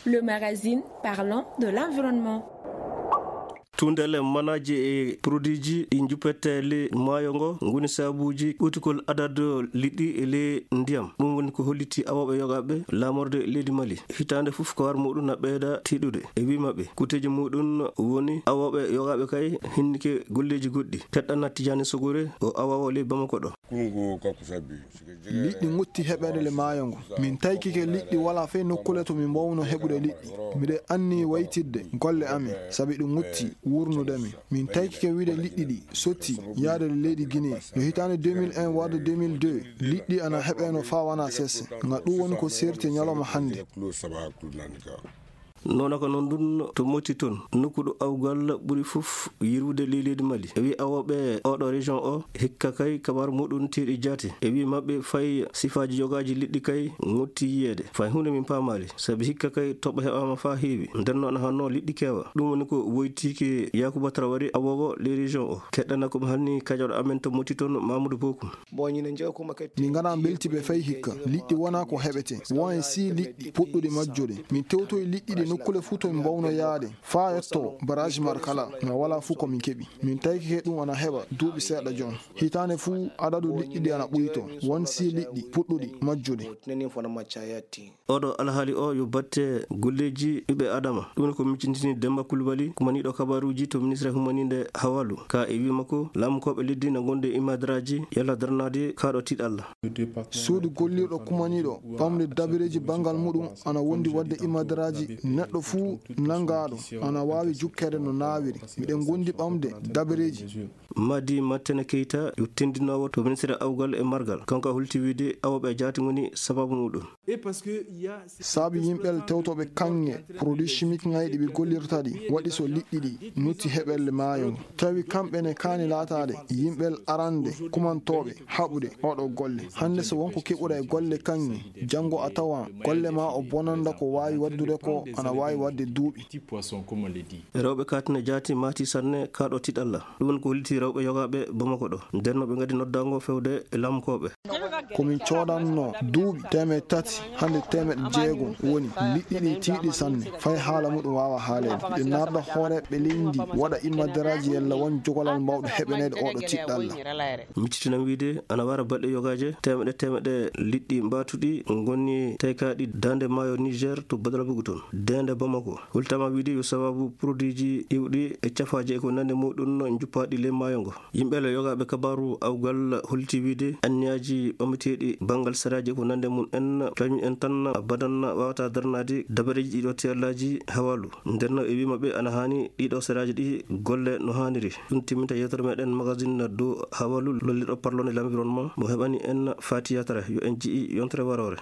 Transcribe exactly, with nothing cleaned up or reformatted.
Le magazine parlant de l'environnement. Tundele manaaji e produitji ɗi njuppete ley maayo ngo ngoni sabuuji ɓuytugol adadu liɗɗi e ley ndiyam. Ɗum woni ko holliti awooɓe yogaaɓe laamorde leydi Mali. Hitaande fof kawar muɗum na ɓeyda tiiɗude. E wii maɓɓe, kuuteeji muɗum woni awooɓe yogaaɓe kay hinnike golleeji goɗɗi. Teɗɗana Tijaani Sogore o awoowo ley Bamako ɗo. Liɗɗi ngotti heɓeede le maayo ngo. Min taykike liɗɗi walaa fey nokkule to min mbaawno heɓude liɗɗi. Miɗen anni waytidde golle amin, sabi ɗum ngotti wuurnude min. Min taykike wiide liɗɗi ɗi sotti yaade le leydi Guinée. Yo hitaande deux mille un warde deux mille deux, liɗɗi ana heɓeeno faa wanaa sese. Nga ɗum woni ko seerti ñalawma hannde. Noona ko noon ɗum to Moti toon, nokku ɗo awgal ɓuri fof yirwude ley leydi Mali. E wii awooɓe oɗo région o, hikka kay kabar muɗum tiiɗi jaati. E wii maɓɓe fay sifaaji yogaaji liɗɗi kay ngotti yiyeede. Fay huunde min paamaali, sabi hikka kay toɓɓe heɓaama faa heewi. Nden noon hannoo liɗɗi keewa. Ɗum woni ko woytiike Yaakuba Traoré awoowo ley région o. Keɗɗana ko mi hanni kajoɗo amen to Moti toon Mamadou Bokum. Min nganaa mbeltiiɓe fay hikka. Liɗɗi wonaa ko heɓetee. Won e sii liɗɗi puɗɗuɗi majjude. Min tewtoyi liɗɗi ɗi nokkule fuu to min mbawno yaade. Faa yetto barrage Markala, ma walaa fuu ko min keɓi. Min taykike ɗum ana heɓa duuɓi seeɗa jooni. Hitaande fuu adadu liɗɗi ɗi ana ɓuytoo. Won sii liɗɗi puɗɗuɗi majjude. Oɗo alhaali o yo batte golleeji ɓiɓɓe Adama. Ɗum ko miccintini Demba Kulbali, kumaniiɗo kabaruuji to ministre humaniinde Hawalu. Ka e wii makko, laamukooɓe leddi na ngondi e imadaraaji yalla darnaade kaaɗo tiiɗalla. Suudu gollirɗo kumaniiɗo ɓamde dabareeji banngal muɗum ana wondi waɗde imadaraaji. Neɗɗo fuu nanngaaɗo ana waawi jukkeede no naawiri. Miɗen ngondi ɓamde dabareeji. Madi Matene Keita yo tenndinoowo to ministre awgal e margal. Kanko a holti wiide awooɓe jaati ngoni sababu muɗum. Sabi yimɓe tewtooɓe kaŋŋe, produit chimique ŋayɗi ɓe gollirta ɗi, waɗi so liɗɗi ɗi nutti heɓelle maayo ngo. Tawi kamɓe ne kaani laataade yimɓe arande kumantooɓe haɓude oɗo golle. Hannde so wonko keɓuɗa e golle kaŋŋe, janngo a tawa golle ma o bonanda ko waawi waɗdude ko ana waawi waɗde duuɓi. Rewɓe katina jaati maati sanne kaaɗo tiiɗalla. Ɗum woni ko holliti rewɓe yogaaɓe Bamako ɗo. Nden no ɓe ngadi noddaango fewde e laamukooɓe. Ko min coodanno duuɓi teemeɗe tati, hannde teemeɗe jeegom woni. Liɗɗi ɗi tiiɗi sanne, fay haala muɗum waawa haaleede. Ɓe narda hooreeɓe leydi ndi, waɗa immadaraaji yalla won jogolal mbawɗo heɓaneede oɗo tiiɗalla. Miccitinam wiide ana wara balɗe yogaaje, teemeɗe teemeɗe liɗɗi mbaatuɗi ngoni taykaaɗi daande maayo Niger to Badalabugu toon, deende Bamako. Holtama wiide yo sababu produitji iwɗi e cafaaji e ko nande muɗum no njuppaaɗi ley maayo ngo. Yimɓe le yogaaɓe kabaaru awgal holti wiide anniyaaji ɓamteeɗi banngal saraaji e ko nande mum en, kañum en tan abadan waawata darnaade dabareeji ɗiɗo tiyallaaji Hawalu. Nden no e wii maɓɓe ana haani ɗiɗo saraaji ɗi golle no haaniri. Ɗum timminta yewtere meɗen magazine dow Hawalu lollirɗo parlonde l'environnement mo heɓani en Fati Yatara yo en ji'i yontere waroore.